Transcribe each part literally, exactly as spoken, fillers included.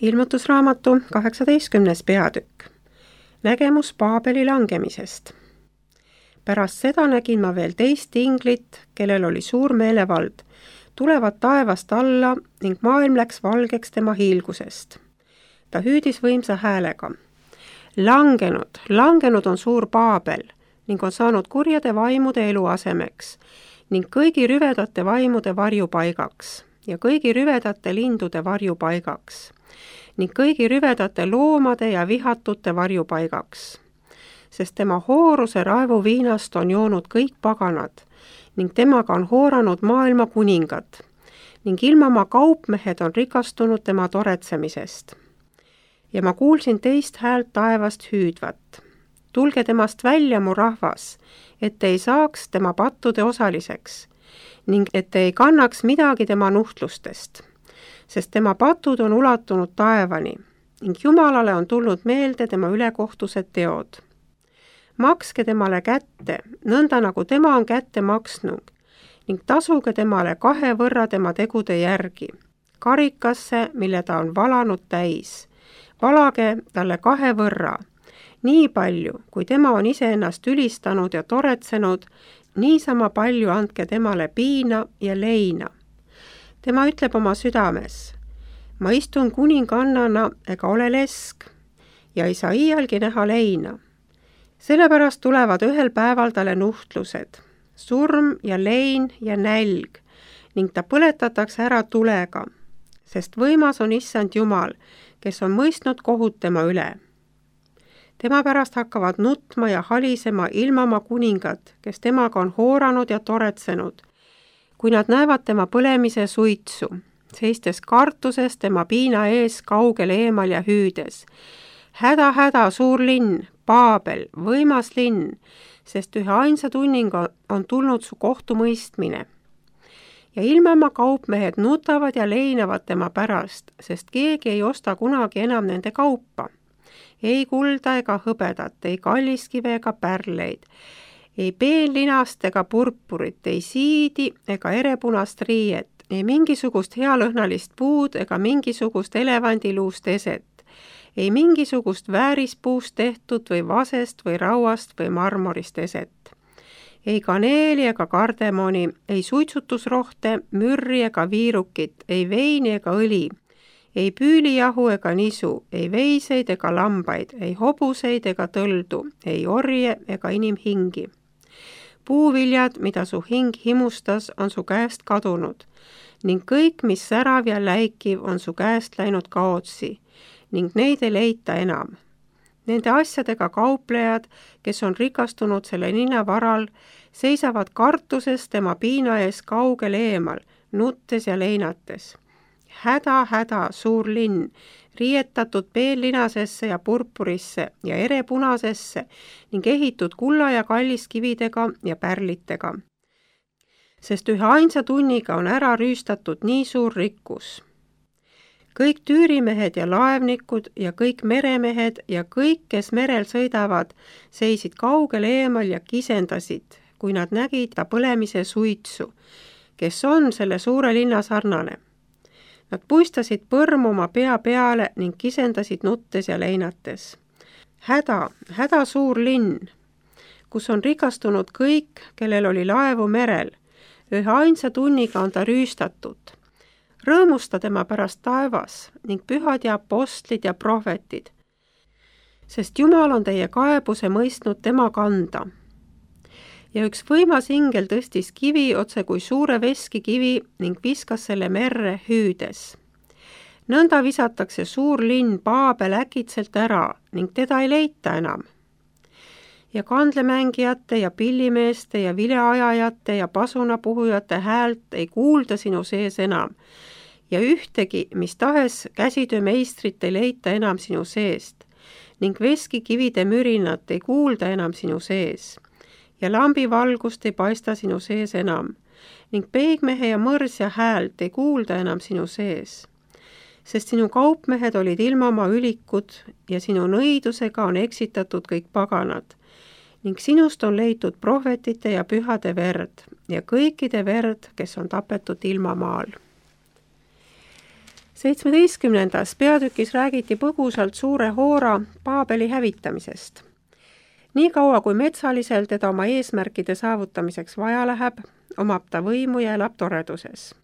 Ilmutusraamatu kaheksateistkümnes peatükk. Nägemus Paabeli langemisest. Pärast seda nägin ma veel teist inglit, kellel oli suur meelevald, tulevad taevast alla ning maailm läks valgeks tema hiilgusest. Ta hüüdis võimsa häälega. Langenud, langenud on suur Paabel ning on saanud kurjade vaimude eluasemeks ning kõigi rüvedate vaimude varjupaigaks ja kõigi rüvedate lindude varjupaigaks ning kõigi rüvedate loomade ja vihatute varjupaigaks, sest tema hooruse raevu viinast on joonud kõik paganad ning temaga on hooranud maailma kuningad ning ilmamaa kaupmehed on rikastunud tema toretsemisest. Ja ma kuulsin teist häält taevast hüüdvat. Tulge temast välja, mu rahvas, et te ei saaks tema pattude osaliseks ning et te ei kannaks midagi tema nuhtlustest, sest tema patud on ulatunud taevani ning Jumalale on tulnud meelde tema ülekohtused teod. Makske temale kätte, nõnda nagu tema on kätte maksnud ning tasuge temale kahe võrra tema tegude järgi, karikasse, mille ta on valanud täis. Valage talle kahe võrra, nii palju, kui tema on iseennast ülistanud ja toretsenud, niisama palju andke temale piina ja leina. Tema ütleb oma südames, ma istun kuningannana ega ole lesk ja ei saa iialgi näha leina. Sellepärast tulevad ühel päeval talle nuhtlused, surm ja lein ja nälg ning ta põletatakse ära tulega, sest võimas on issand Jumal, kes on mõistnud kohut tema üle. Tema pärast hakkavad nutma ja halisema ilmamaa kuningad, kes temaga on hooranud ja toretsenud, kui nad näevad tema põlemise suitsu, seistes kartuses tema piina ees kaugel eemal ja hüüdes. Häda, häda, suur linn, Paabel, võimas linn, sest ühe ainsa tunninga on tulnud su kohtumõistmine. Ja ilmamaa kaupmehed nutavad ja leinavad tema pärast, sest keegi ei osta kunagi enam nende kaupa. Ei kulda ega hõbedat, ei kalliskive ega pärleid, ei peenlinast ega purpurit, ei siidi ega erepunast riiet, ei mingisugust healõhnalist puud ega mingisugust elevandiluust eset, ei mingisugust väärispuust tehtud või vasest või rauast või marmorist eset. Ei kaneeli ega kardemoni, ei suitsutusrohte, mürri ega viirukit, ei veini ega õli, ei püülijahu ega nisu, ei veiseid ega lambaid, ei hobuseid ega tõldu, ei orje ega inimhingi. Puuviljad, mida su hing himustas, on su käest kadunud ning kõik, mis särav ja läikiv, on su käest läinud kaotsi ning neid ei leita enam. Nende asjadega kauplejad, kes on rikastunud selle ninna varal, seisavad kartuses tema piina ees kaugel eemal, nuttes ja leinates. Häda, häda, suur linn, riietatud peenlinasesse ja purpurisse ja erepunasesse ning ehitud kulla ja kalliskividega ja pärlitega. Sest ühe ainsa tunniga on ära rüüstatud nii suur rikkus. Kõik tüürimehed ja laevnikud ja kõik meremehed ja kõik, kes merel sõidavad, seisid kaugel eemal ja kisendasid, kui nad nägid ta põlemise suitsu, kes on selle suure linna sarnane. Nad puistasid põrmu oma pea peale ning kisendasid nuttes ja leinates. Häda, häda suur linn, kus on rikastunud kõik, kellel oli laevu merel. Ühe ainsa tunniga on ta rüüstatud. Rõõmusta tema pärast taevas ning pühad ja apostlid ja prohvetid, sest Jumal on teie kaebuse mõistnud tema kanda. Ja üks võimas ingel tõstis kivi otse kui suure veskikivi ning viskas selle merre hüüdes. Nõnda visatakse suur linn Paabel äkitselt ära ning teda ei leita enam. Ja kandlemängijate ja pillimeeste ja vileajajate ja pasunapuhujate häält ei kuulda sinu sees enam ja ühtegi, mis tahes käsitöömeistrit ei leita enam sinu seest ning veskikivide mürinat ei kuulda enam sinu sees ja lambivalgust ei paista sinu sees enam ning peigmehe ja mõrsja häält ei kuulda enam sinu sees, sest sinu kaupmehed olid ilmamaa ülikud ja sinu nõidusega on eksitatud kõik paganad ning sinust on leitud prohvetite ja pühade verd ja kõikide verd, kes on tapetud ilmamaal. seitsmeteistkümnendas peatükis räägiti põgusalt suure Hoora Paabeli hävitamisest. Nii kaua, kui metsalisel teda oma eesmärkide saavutamiseks vaja läheb, omab ta võimu ja elab toreduses.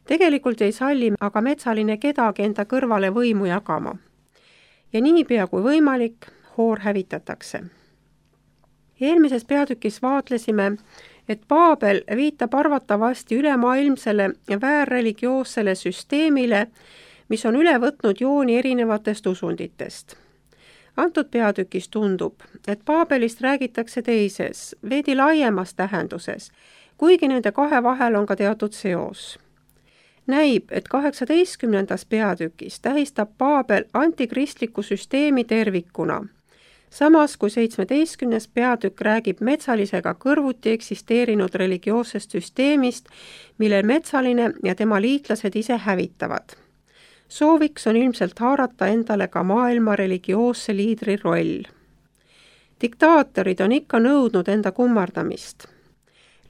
Tegelikult ei salli aga metsaline kedagi enda kõrvale võimu jagama. Ja niipea kui võimalik, Hoor hävitatakse. Eelmises peatükis vaatlesime, et Paabel viitab arvatavasti ülemaailmsele ja väärreligioossele süsteemile, mis on üle võtnud jooni erinevatest usunditest. Antud peatükis tundub, et Paabelist räägitakse teises, veidi laiemas tähenduses, kuigi nende kahe vahel on ka teatud seos. Näib, et kaheksateistkümnendas peatükis tähistab Paabel antikristliku süsteemi tervikuna, samas kui seitsmeteistkümnes peatükk räägib metsalisega kõrvuti eksisteerinud religioossest süsteemist, millel metsaline ja tema liitlased ise hävitavad. Sooviks on ilmselt haarata endale ka maailma religioosse liidri roll. Diktaatorid on ikka nõudnud enda kummardamist.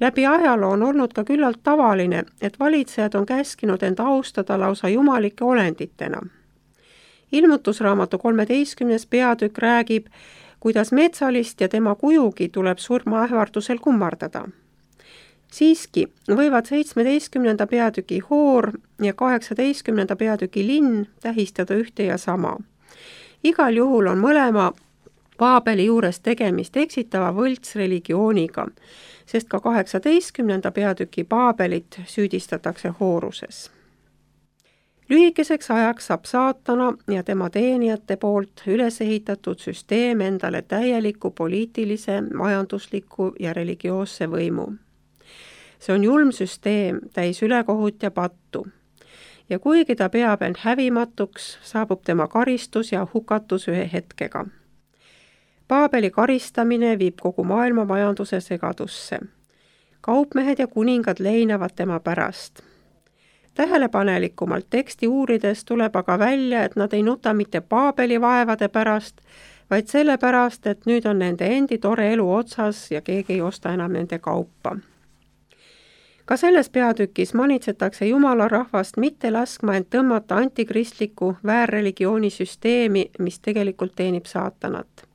Läbi ajaloo on olnud ka küllalt tavaline, et valitsejad on käskinud end austada lausa jumalike olenditena. Ilmutusraamatu kolmeteistkümnes peatükk räägib, kuidas metsalist ja tema kujugi tuleb surmaähvardusel kummardada. Siiski võivad seitsmeteistkümnenda peatüki Hoor ja kaheksateistkümnenda peatüki linn tähistada ühte ja sama. Igal juhul on mõlema Paabeli juures tegemist eksitava võltsreligiooniga, sest ka kaheksateistkümnenda peatüki Paabelit süüdistatakse hooruses. Lühikeseks ajaks saab saatana ja tema teenijate poolt üles ehitatud süsteem endale täieliku poliitilise, majandusliku ja religioosse võimu. See on julm süsteem, täis ülekohut ja pattu. Ja kuigi ta peab end hävimatuks, saabub tema karistus ja hukatus ühe hetkega. Paabeli karistamine viib kogu maailma majanduse segadusse. Kaupmehed ja kuningad leinavad tema pärast. Tähelepanelikumalt teksti uurides tuleb aga välja, et nad ei nuta mitte Paabeli vaevade pärast, vaid selle pärast, et nüüd on nende endi tore elu otsas ja keegi ei osta enam nende kaupa. Ka selles peatükis manitsetakse Jumala rahvast mitte laskma end tõmmata antikristliku väärreligiooni süsteemi, mis tegelikult teenib saatanat.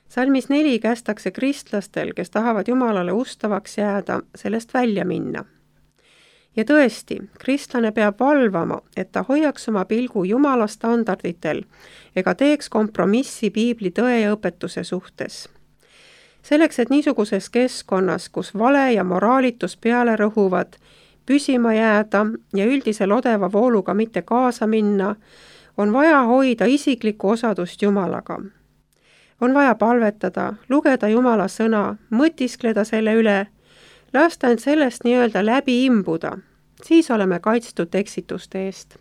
Salmis neli kästakse kristlastel, kes tahavad Jumalale ustavaks jääda, sellest välja minna. Ja tõesti, kristlane peab valvama, et ta hoiaks oma pilgu Jumala standarditel ega teeks kompromissi piibli tõe ja õpetuse suhtes. Selleks, et niisuguses keskkonnas, kus vale ja moraalitus peale rõhuvad, püsima jääda ja üldisel odeva vooluga mitte kaasa minna, on vaja hoida isiklikku osadust Jumalaga. On vaja palvetada, lugeda Jumala sõna, mõtiskleda selle üle, lasta end sellest nii-öelda läbi imbuda, siis oleme kaitstud eksituste eest.